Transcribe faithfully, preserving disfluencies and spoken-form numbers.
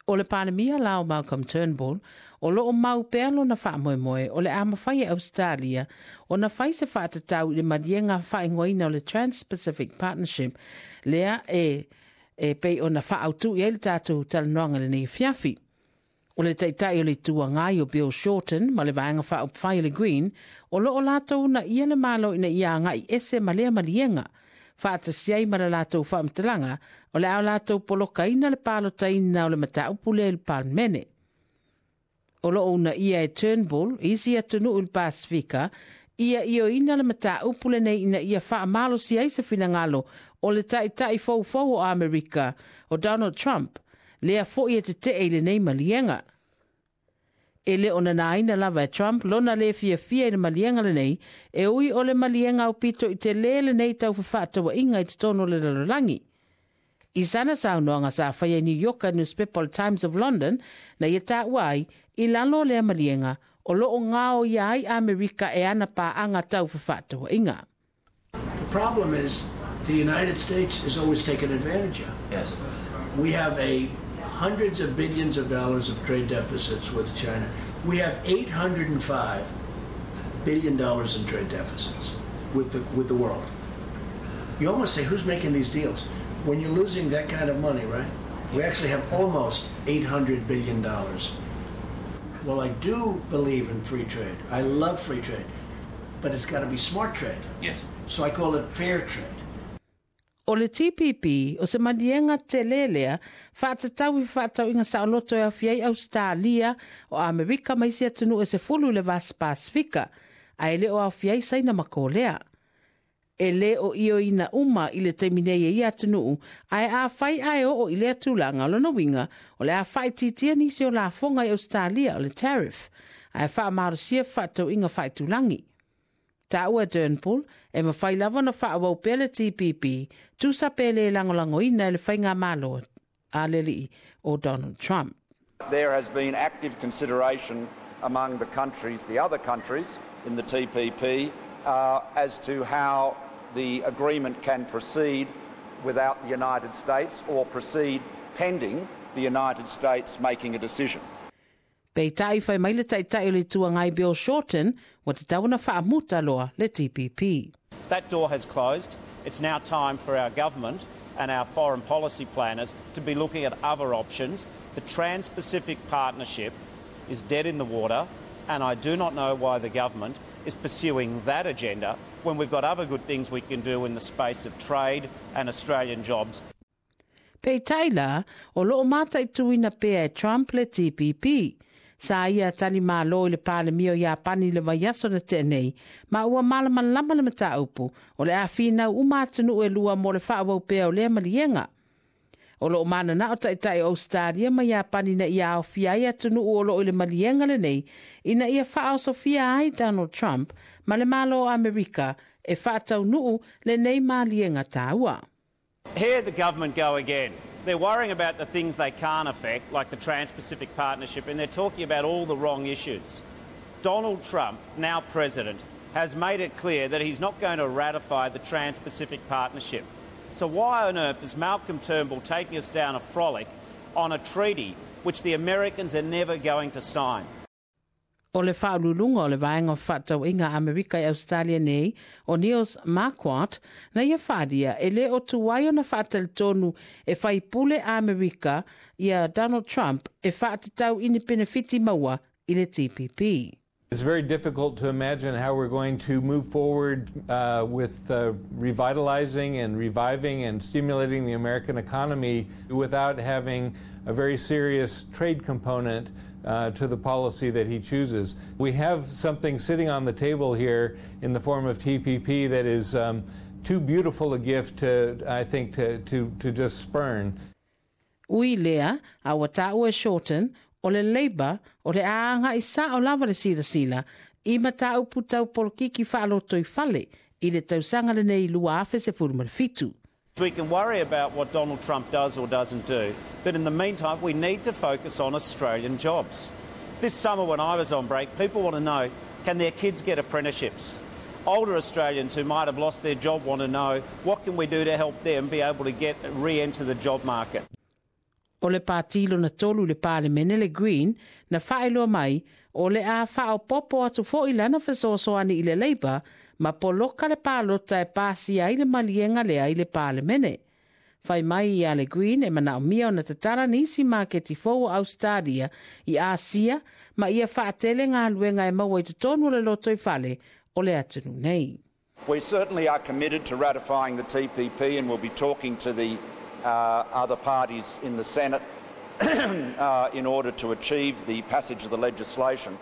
O le Palemia la o Malcolm Turnbull, o loo mau pea lona faamoemoe o le a mafai e Australia ona fai se faatatau i le maliega faaigoaina o le Trans-Pacific Partnership lea e e pei ona faaautu i ai le tatou talanoaga lenei afiafi. O le taitai o le Itu Agai o Bill Shorten ma le Vaega Faaupufai o le Green, o loo latou uunaia le Malo ina ia agai ese ma lea maliega, faatasi ai ma le latou faamatalaga o le a latou polokaina le palotaina o le mataupu lea i le Palemene. O loo uunaia e Turnbull isi atunuu i le Pasifika ia ioeina le mataupu lenei ina ia faamalosi ai se finagalo o le taitai foufou o Amerika o Donald Trump, lea foi e tetee i lenei maliega. E le o nanaina lava e Trump lona le fiafia i le maliega lenei, e ui o le maliega aupito i tele lenei tau fefaatauaiga i totonu o le lalolagi. I sana saunoaga sa faia i New York newspaper Times of London, na ia taua ai i lalo o lea maliega o loo gaoia ai Amerika e ana paaga tau fefaatauaiga. The problem is the United States is always taken advantage of. Yes. We have a hundreds of billions of dollars of trade deficits with China. We have eight hundred five billion dollars in trade deficits with the, with the world. You almost say, "Who's making these deals?" When you're losing that kind of money, right? We actually have almost eight hundred billion dollars. Well, I do believe in free trade. I love free trade. But it's got to be smart trade. Yes. So I call it fair trade. O le T P P, o se maliega tele lea, faatatau i fefaatauaiga saoloto e aofia ai Australia, o Amerika ma isi atunuu e sefulu i le Vasa Pasifika, ae le o aofia ai Saina ma Kolea. E le o ioeina uma i le taimi nei e ia atunuu, ae afai ae oo i lea tulaga, o lona uiga, o le a faaitiitia nisi o lafoga i Australia o le tariff, ae faamalosia fefaatauaiga faaitulagi. Taua Turnbull e mafai lava ona faaauau pea le T P P, tusa pe le lagolagoina e le faigamalo a le alii o Donald Trump. There has been active consideration among the countries, the other countries in the T P P, uh, as to how the agreement can proceed without the United States or proceed pending the United States making a decision. Peitai fai mai le taitai o le Itu Agai Bill Shorten, ua tatau ona faamuta loa le T P P. That door has closed. It's now time for our government and our foreign policy planners to be looking at other options. The Trans Pacific Partnership is dead in the water, and I do not know why the government is pursuing that agenda when we've got other good things we can do in the space of trade and Australian jobs. Peitai la, o loo mataituina pea e Trump le T P P. Sa ia tali malo i le Palemia o Iapani le vaiaso na tea nei, ma ua malamalama le mataupu, o le a finau uma atunuu e lua mo le faaauau pea o lea maliega. O loo mananao taitai o Australia ma Iapani na ia aofia ai atunuu o loo i le maliega lenei, ina ia faaosofia ai Donald Trump ma le Malo o Amerika e faataunuu lenei maliega taua. Here the government go again. They're worrying about the things they can't affect, like the Trans Pacific Partnership, and they're talking about all the wrong issues. Donald Trump, now president, has made it clear that he's not going to ratify the Trans Pacific Partnership. So, why on earth is Malcolm Turnbull taking us down a frolic on a treaty which the Americans are never going to sign? O le faauluuluga o le Vaega o Fefaatauaiga Amerika i Australia nei, o Niels Marquardt, na ia faaalia e le o tuai ona faatalitonu e faipule Amerika ia Donald Trump e faatatau i ni penefiti maua i le T P P. It's very difficult to imagine how we're going to move forward uh, with uh, revitalizing and reviving and stimulating the American economy without having a very serious trade component uh, to the policy that he chooses. We have something sitting on the table here in the form of T P P that is um, too beautiful a gift to, I think, to, to, to just spurn. Ui lea, a ua taua e Shorten, o le Labour o le a agai sao lava le silasila i mataupu tau polokiki faalotoifale i le tausaga lenei lua afe sefulu ma le fitu. We can worry about what Donald Trump does or doesn't do, but in the meantime, we need to focus on Australian jobs. This summer, when I was on break, people want to know, can their kids get apprenticeships? Older Australians who might have lost their job want to know what can we do to help them be able to get re-enter the job market. O le pati lona tolu i le Palemene le Green na faailoa mai o le a faaopoopo atu fo'i lana fesoasoani i le Labour ma poloka le palota e pasia ai le maliega lea i le Palemene. Fai mai ia le Green e manaomia ona tatala nisi maketi fou o Australia i Asia ma ia faatele galuega e maua i totonu o le lotoifale o le atunuu nei. We certainly are committed to ratifying the T P P and we'll be talking to the uh, other parties in the Senate uh, in order to achieve the passage of the legislation.